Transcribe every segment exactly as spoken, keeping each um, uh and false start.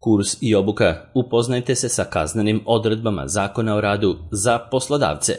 Kurs i obuka. Upoznajte se sa kaznenim odredbama Zakona o radu za poslodavce.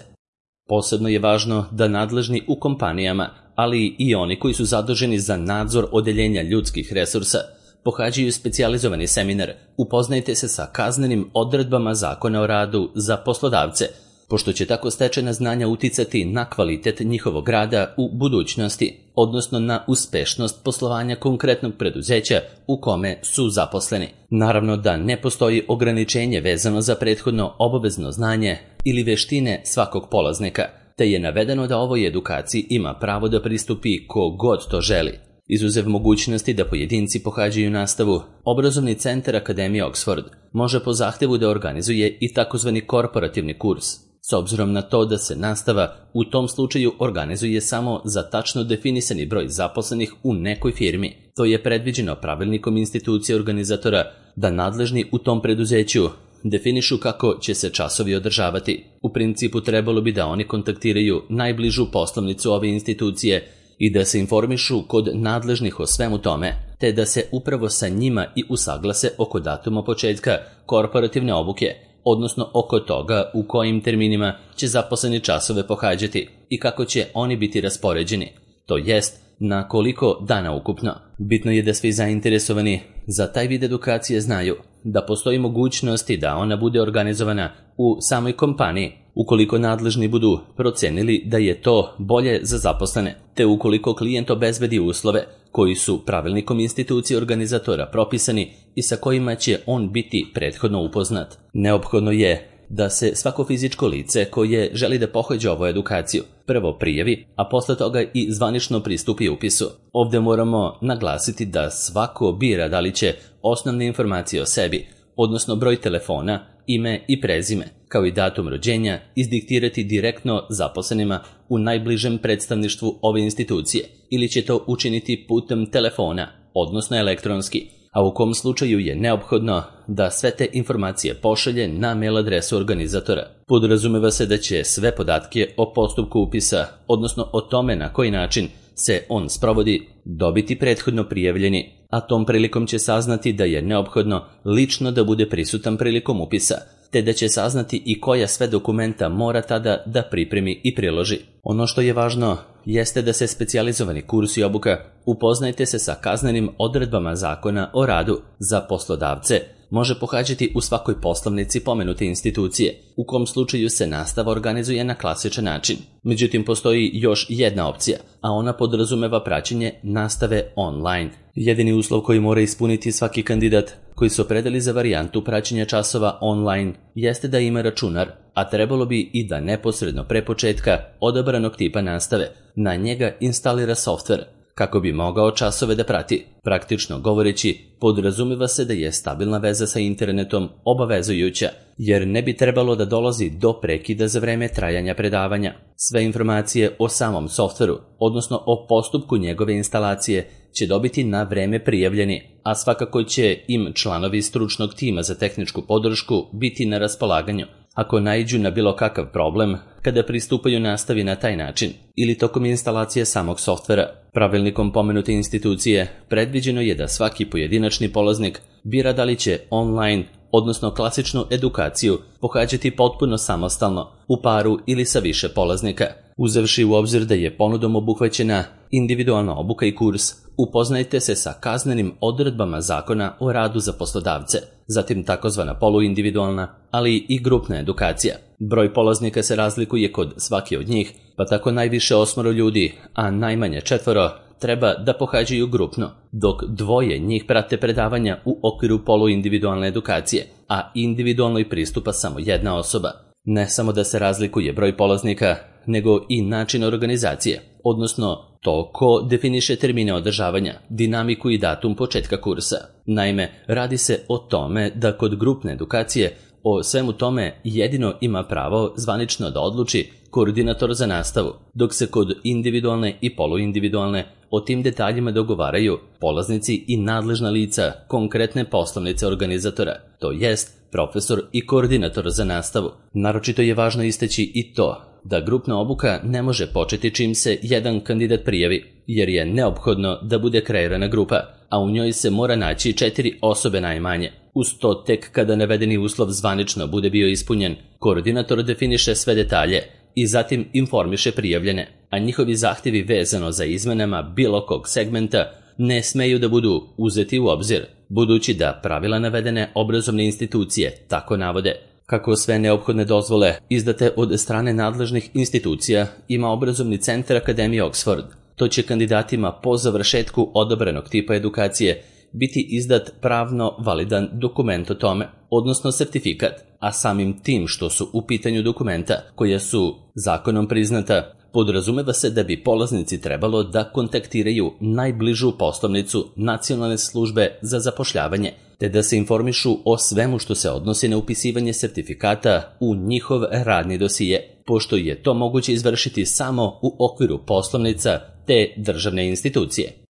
Posebno je važno da nadležni u kompanijama, ali i oni koji su zaduženi za nadzor odeljenja ljudskih resursa, pohađaju specijalizovani seminar Upoznajte se sa kaznenim odredbama Zakona o radu za poslodavce, pošto će tako stečena znanja uticati na kvalitet njihovog rada u budućnosti, odnosno na uspešnost poslovanja konkretnog preduzeća u kome su zaposleni. Naravno da ne postoji ograničenje vezano za prethodno obavezno znanje ili veštine svakog polaznika, te je navedeno da ovoj edukaciji ima pravo da pristupi ko god to želi. Izuzev mogućnosti da pojedinci pohađaju nastavu, obrazovni centar Akademije Oxford može po zahtevu da organizuje i takozvani korporativni kurs, s obzirom na to da se nastava u tom slučaju organizuje samo za tačno definisani broj zaposlenih u nekoj firmi. To je predviđeno pravilnikom institucije organizatora da nadležni u tom preduzeću definišu kako će se časovi održavati. U principu trebalo bi da oni kontaktiraju najbližu poslovnicu ove institucije i da se informišu kod nadležnih o svemu tome, te da se upravo sa njima i usaglase oko datuma početka korporativne obuke, odnosno oko toga u kojim terminima će zaposleni časove pohađati i kako će oni biti raspoređeni, to jest na koliko dana ukupno. Bitno je da svi zainteresovani za taj vid edukacije znaju da postoji mogućnosti da ona bude organizovana u samoj kompaniji, ukoliko nadležni budu procenili da je to bolje za zaposlene, te ukoliko klijent obezbedi uslove koji su pravilnikom institucije organizatora propisani i sa kojima će on biti prethodno upoznat. Neophodno je da se svako fizičko lice koje želi da pohađa ovu edukaciju prvo prijavi, a posle toga i zvanično pristupi upisu. Ovdje moramo naglasiti da svako bira da li će osnovne informacije o sebi, odnosno broj telefona, ime i prezime, kao i datum rođenja, izdiktirati direktno zaposlenima u najbližem predstavništvu ove institucije ili će to učiniti putem telefona, odnosno elektronski, a u kom slučaju je neophodno da sve te informacije pošalje na mail adresu organizatora. Podrazumeva se da će sve podatke o postupku upisa, odnosno o tome na koji način se on sprovodi, dobiti prethodno prijavljeni, a tom prilikom će saznati da je neophodno lično da bude prisutan prilikom upisa, te da će saznati i koja sve dokumenta mora tada da pripremi i priloži. Ono što je važno jeste da se specijalizovani kurs i obuka Upoznajte se sa kaznenim odredbama Zakona o radu za poslodavce može pohađati u svakoj poslovnici pomenute institucije, u kom slučaju se nastava organizuje na klasičan način. Međutim, postoji još jedna opcija, a ona podrazumeva praćenje nastave online. Jedini uslov koji mora ispuniti svaki kandidat koji se opredeli za varijantu praćenja časova online jeste da ima računar, a trebalo bi i da neposredno pre početka odabranog tipa nastave na njega instalira softver kako bi mogao časove da prati. Praktično govoreći, podrazumeva se da je stabilna veza sa internetom obavezujuća, jer ne bi trebalo da dolazi do prekida za vreme trajanja predavanja. Sve informacije o samom softveru, odnosno o postupku njegove instalacije, će dobiti na vreme prijavljeni, a svakako će im članovi stručnog tima za tehničku podršku biti na raspolaganju ako naiđu na bilo kakav problem kada pristupaju nastavi na taj način ili tokom instalacije samog softvera. Pravilnikom pomenute institucije predviđeno je da svaki pojedinačni polaznik bira da li će online, odnosno klasičnu edukaciju, pohađati potpuno samostalno, u paru ili sa više polaznika. Uzevši u obzir da je ponudom obuhvaćena individualna obuka i kurs, upoznajte se sa kaznenim odredbama Zakona o radu za poslodavce, zatim takozvana poluindividualna, ali i grupna edukacija. Broj polaznika se razlikuje kod svake od njih, pa tako najviše osmoro ljudi, a najmanje četvoro, treba da pohađaju grupno, dok dvoje njih prate predavanja u okviru poluindividualne edukacije, a individualnoj pristupa samo jedna osoba. Ne samo da se razlikuje broj polaznika, nego i način organizacije, odnosno to ko definiše termine održavanja, dinamiku i datum početka kursa. Naime, radi se o tome da kod grupne edukacije o svemu tome jedino ima pravo zvanično da odluči koordinator za nastavu, dok se kod individualne i poluindividualne o tim detaljima dogovaraju polaznici i nadležna lica konkretne poslovnice organizatora, to jest profesor i koordinator za nastavu. Naročito je važno istaći i to da grupna obuka ne može početi čim se jedan kandidat prijavi, jer je neophodno da bude kreirana grupa, a u njoj se mora naći četiri osobe najmanje. Uz to tek kada navedeni uslov zvanično bude bio ispunjen, koordinator definiše sve detalje i zatim informiše prijavljene, a njihovi zahtjevi vezano za izmenama bilo kog segmenta ne smeju da budu uzeti u obzir, budući da pravila navedene obrazovne institucije tako navode. Kako sve neophodne dozvole izdate od strane nadležnih institucija ima obrazovni centar Akademije Oxford, to će kandidatima po završetku odobrenog tipa edukacije biti izdat pravno validan dokument o tome, odnosno sertifikat, a samim tim što su u pitanju dokumenta koja su zakonom priznata, podrazumeva se da bi polaznici trebalo da kontaktiraju najbližu poslovnicu Nacionalne službe za zapošljavanje, te da se informišu o svemu što se odnosi na upisivanje sertifikata u njihov radni dosije, pošto je to moguće izvršiti samo u okviru poslovnica te državne institucije.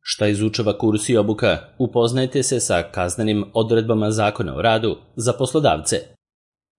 Šta izučava kurs i obuka? Upoznajte se sa kaznenim odredbama Zakona o radu za poslodavce.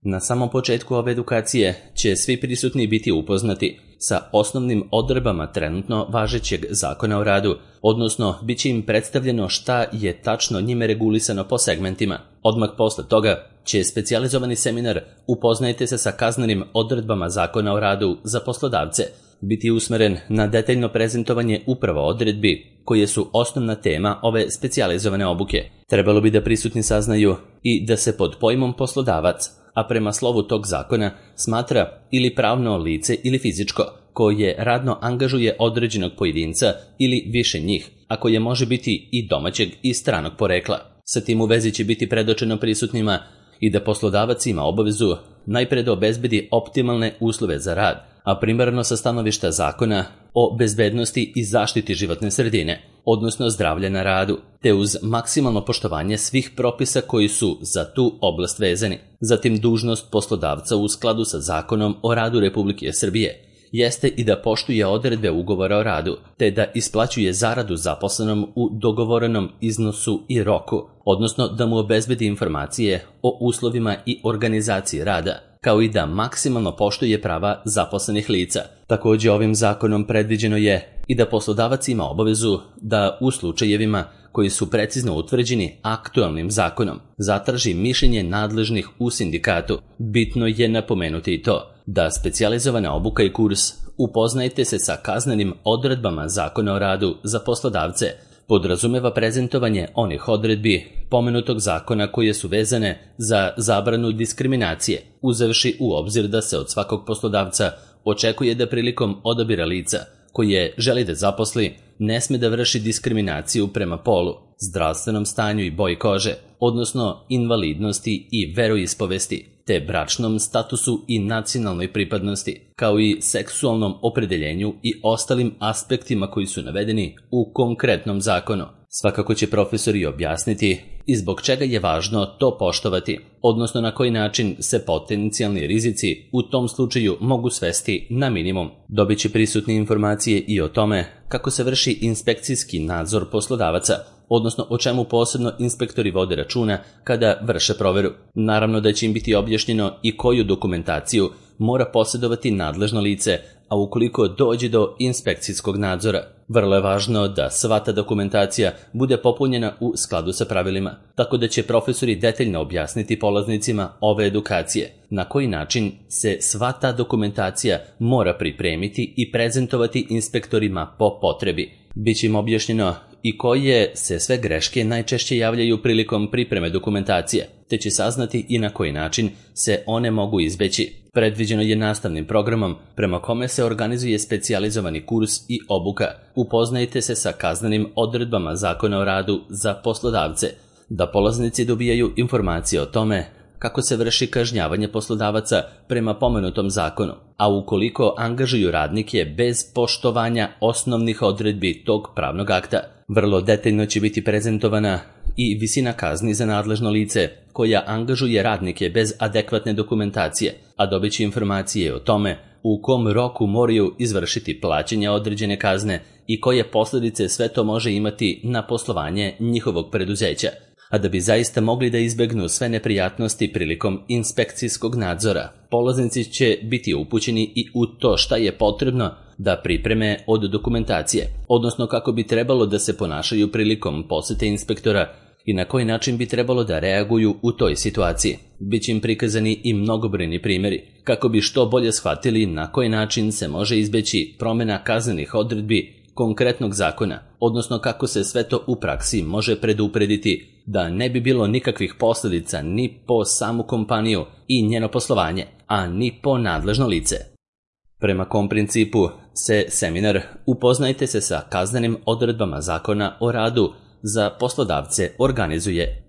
Na samom početku ove edukacije će svi prisutni biti upoznati sa osnovnim odredbama trenutno važećeg Zakona o radu, odnosno bit će im predstavljeno šta je tačno njime regulisano po segmentima. Odmah posle toga će specijalizovani seminar Upoznajte se sa kaznenim odredbama Zakona o radu za poslodavce biti usmeren na detaljno prezentovanje upravo odredbi koje su osnovna tema ove specijalizovane obuke. Trebalo bi da prisutni saznaju i da se pod pojmom poslodavac, a prema slovu tog zakona, smatra ili pravno lice ili fizičko, koje radno angažuje određenog pojedinca ili više njih, a koje može biti i domaćeg i stranog porekla. Sa tim u vezi će biti predočeno prisutnima i da poslodavac ima obavezu najpre da obezbedi optimalne uslove za rad, a primarno sa stanovišta zakona o bezbednosti i zaštiti životne sredine, odnosno zdravlja na radu, te uz maksimalno poštovanje svih propisa koji su za tu oblast vezani. Zatim dužnost poslodavca u skladu sa Zakonom o radu Republike Srbije jeste i da poštuje odredbe ugovora o radu, te da isplaćuje zaradu zaposlenom u dogovorenom iznosu i roku, odnosno da mu obezbedi informacije o uslovima i organizaciji rada, kao i da maksimalno poštuje prava zaposlenih lica. Također ovim zakonom predviđeno je i da poslodavac ima obavezu da u slučajevima koji su precizno utvrđeni aktualnim zakonom zatraži mišljenje nadležnih u sindikatu. Bitno je napomenuti i to da specijalizovana obuka i kurs Upoznajte se sa kaznenim odredbama Zakona o radu za poslodavce podrazumeva prezentovanje onih odredbi pomenutog zakona koje su vezane za zabranu diskriminacije, uzevši u obzir da se od svakog poslodavca očekuje da prilikom odabira lica koje želi da zaposli ne sme da vrši diskriminaciju prema polu, zdravstvenom stanju i boji kože, odnosno invalidnosti i veroispovesti, te bračnom statusu i nacionalnoj pripadnosti, kao i seksualnom opredeljenju i ostalim aspektima koji su navedeni u konkretnom zakonu. Svakako će profesori objasniti i zbog čega je važno to poštovati, odnosno na koji način se potencijalni rizici u tom slučaju mogu svesti na minimum. Dobit će prisutne informacije i o tome kako se vrši inspekcijski nadzor poslodavaca, odnosno o čemu posebno inspektori vode računa kada vrše proveru. Naravno da će im biti objašnjeno i koju dokumentaciju mora posjedovati nadležno lice, a ukoliko dođe do inspekcijskog nadzora. Vrlo je važno da sva ta dokumentacija bude popunjena u skladu sa pravilima, tako da će profesori detaljno objasniti polaznicima ove edukacije na koji način se sva ta dokumentacija mora pripremiti i prezentovati inspektorima po potrebi. Biće im objašnjeno i koje se sve greške najčešće javljaju prilikom pripreme dokumentacije, te će saznati i na koji način se one mogu izbeći. Predviđeno je nastavnim programom prema kome se organizuje specijalizovani kurs i obuka. Upoznajte se sa kaznenim odredbama Zakona o radu za poslodavce, da polaznici dobijaju informacije o tome kako se vrši kažnjavanje poslodavaca prema pomenutom zakonu, a ukoliko angažuju radnike bez poštovanja osnovnih odredbi tog pravnog akta. Vrlo detaljno će biti prezentovana i visina kazni za nadležno lice koja angažuje radnike bez adekvatne dokumentacije, a dobit će informacije o tome u kom roku moraju izvršiti plaćanje određene kazne i koje posljedice sve to može imati na poslovanje njihovog preduzeća. A da bi zaista mogli da izbegnu sve neprijatnosti prilikom inspekcijskog nadzora, polaznici će biti upućeni i u to šta je potrebno da pripreme od dokumentacije, odnosno kako bi trebalo da se ponašaju prilikom posete inspektora i na koji način bi trebalo da reaguju u toj situaciji. Biće im prikazani i mnogobrojni primjeri, kako bi što bolje shvatili na koji način se može izbeći promjena kaznenih odredbi konkretnog zakona, odnosno kako se sve to u praksi može preduprediti da ne bi bilo nikakvih posljedica ni po samu kompaniju i njeno poslovanje, a ni po nadležno lice. Prema kom principu se seminar Upoznajte se sa kaznenim odredbama zakona o radu za poslodavce organizuje?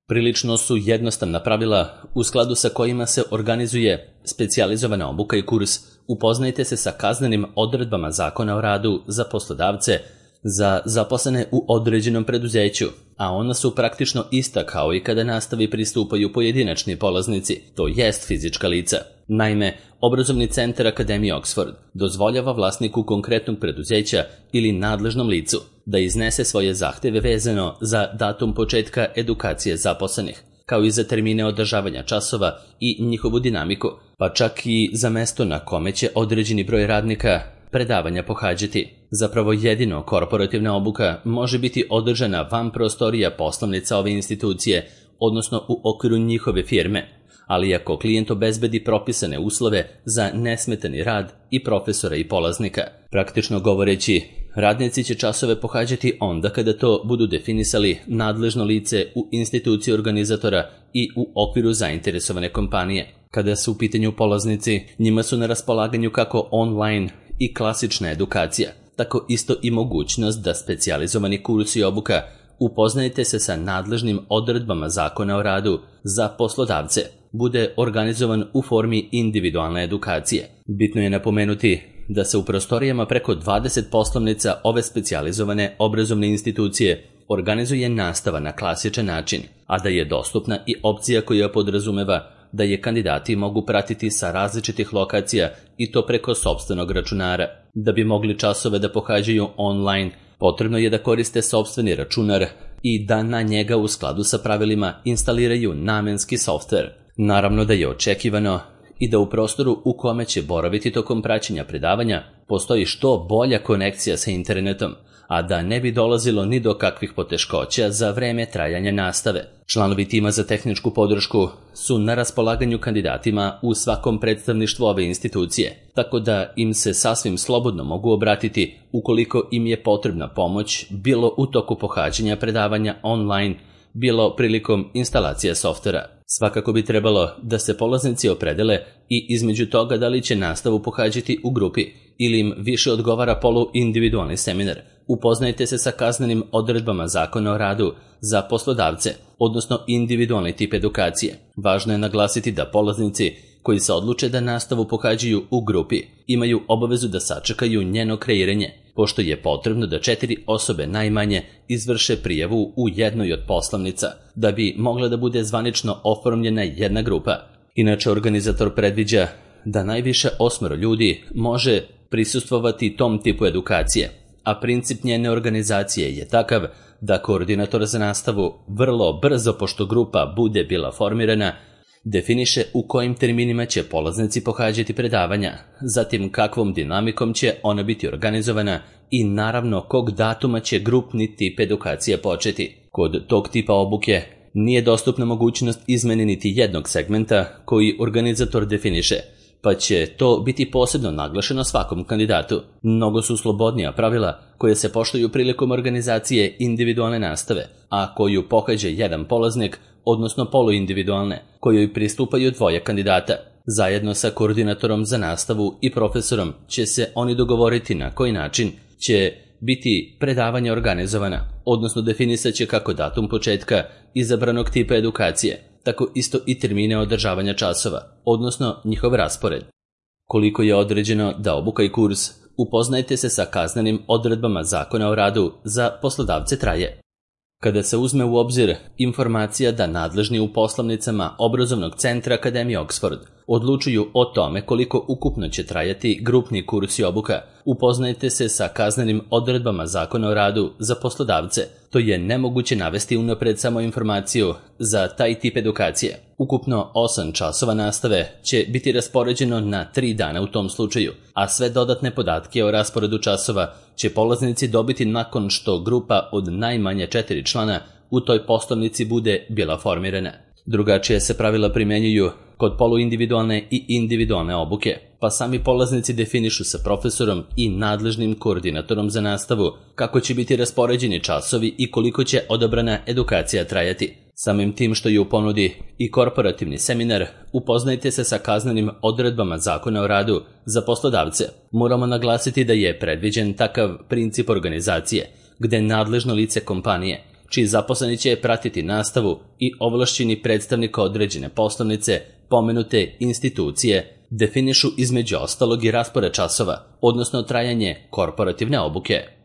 Prilično su jednostavna pravila u skladu sa kojima se organizuje specijalizovana obuka i kurs Upoznajte se sa kaznenim odredbama zakona o radu za poslodavce za zaposlene u određenom preduzeću, a ona su praktično ista kao i kada nastavi pristupaju pojedinačni polaznici, to jest fizička lica. Naime, obrazovni centar Akademije Oxford dozvoljava vlasniku konkretnog preduzeća ili nadležnom licu da iznese svoje zahteve vezano za datum početka edukacije zaposlenih, kao i za termine održavanja časova i njihovu dinamiku, pa čak i za mesto na kome će određeni broj radnika predavanja pohađati. Zapravo jedino korporativna obuka može biti održana van prostorija poslovnica ove institucije, odnosno u okviru njihove firme, ali ako klijent obezbedi propisane uslove za nesmetani rad i profesora i polaznika. Praktično govoreći, radnici će časove pohađati onda kada to budu definisali nadležno lice u instituciji organizatora i u okviru zainteresovane kompanije. Kada su u pitanju polaznici, njima su na raspolaganju kako online i klasična edukacija, tako isto i mogućnost da specijalizovani kurs i obuka Upoznajte se sa nadležnim odredbama zakona o radu za poslodavce bude organizovan u formi individualne edukacije. Bitno je napomenuti da se u prostorijama preko dvadeset poslovnica ove specijalizovane obrazovne institucije organizuje nastava na klasičan način, a da je dostupna i opcija koja podrazumeva da je kandidati mogu pratiti sa različitih lokacija i to preko sopstvenog računara. Da bi mogli časove da pohađaju online, potrebno je da koriste sopstveni računar i da na njega u skladu sa pravilima instaliraju namenski softver. Naravno da je očekivano i da u prostoru u kome će boraviti tokom praćenja predavanja postoji što bolja konekcija sa internetom, a da ne bi dolazilo ni do kakvih poteškoća za vreme trajanja nastave. Članovi tima za tehničku podršku su na raspolaganju kandidatima u svakom predstavništvu ove institucije, tako da im se sasvim slobodno mogu obratiti ukoliko im je potrebna pomoć bilo u toku pohađanja predavanja online, bilo prilikom instalacije softvera. Svakako bi trebalo da se polaznici opredele i između toga da li će nastavu pohađati u grupi ili im više odgovara polu-individualni seminar. Upoznajte se sa kaznenim odredbama zakona o radu za poslodavce, odnosno individualni tip edukacije. Važno je naglasiti da polaznici koji se odluče da nastavu pohađaju u grupi imaju obavezu da sačekaju njeno kreiranje, pošto je potrebno da četiri osobe najmanje izvrše prijavu u jednoj od poslovnica, da bi mogla da bude zvanično oformljena jedna grupa. Inače, organizator predviđa da najviše osmero ljudi može prisustvovati tom tipu edukacije, a princip njene organizacije je takav da koordinator za nastavu vrlo brzo, pošto grupa bude bila formirana, definiše u kojim terminima će polaznici pohađati predavanja, zatim kakvom dinamikom će ona biti organizovana i naravno kog datuma će grupni tip edukacije početi. Kod tog tipa obuke nije dostupna mogućnost izmene niti jednog segmenta koji organizator definiše, pa će to biti posebno naglašeno svakom kandidatu. Mnogo su slobodnija pravila koje se poštuju prilikom organizacije individualne nastave, a koju pohađa jedan polaznik, odnosno poluindividualne, kojoj pristupaju dvoje kandidata. Zajedno sa koordinatorom za nastavu i profesorom će se oni dogovoriti na koji način će biti predavanje organizovana, odnosno definisat će kako datum početka izabranog tipa edukacije, tako isto i termine održavanja časova, odnosno njihov raspored. Koliko je određeno da obuka i kurs Upoznajte se sa kaznenim odredbama zakona o radu za poslodavce traje. Kada se uzme u obzir informacija da nadležni u poslovnicama obrazovnog centra Akademije Oxford odlučuju o tome koliko ukupno će trajati grupni kurs i obuka, upoznajte se sa kaznenim odredbama zakona o radu za poslodavce. To je nemoguće navesti unapred samo informaciju za taj tip edukacije. Ukupno osam časova nastave će biti raspoređeno na tri dana u tom slučaju, a sve dodatne podatke o rasporedu časova će polaznici dobiti nakon što grupa od najmanje četiri člana u toj poslovnici bude bila formirana. Drugačije se pravila primenjuju kod poluindividualne i individualne obuke, pa sami polaznici definišu sa profesorom i nadležnim koordinatorom za nastavu kako će biti raspoređeni časovi i koliko će odabrana edukacija trajati. Samim tim što je u ponudi i korporativni seminar, upoznajte se sa kaznenim odredbama Zakona o radu za poslodavce. Moramo naglasiti da je predviđen takav princip organizacije, gde nadležno lice kompanije, čiji zaposleni će pratiti nastavu i ovlašćeni predstavnika određene poslovnice, pomenute institucije, definišu između ostalog i raspored časova, odnosno trajanje korporativne obuke.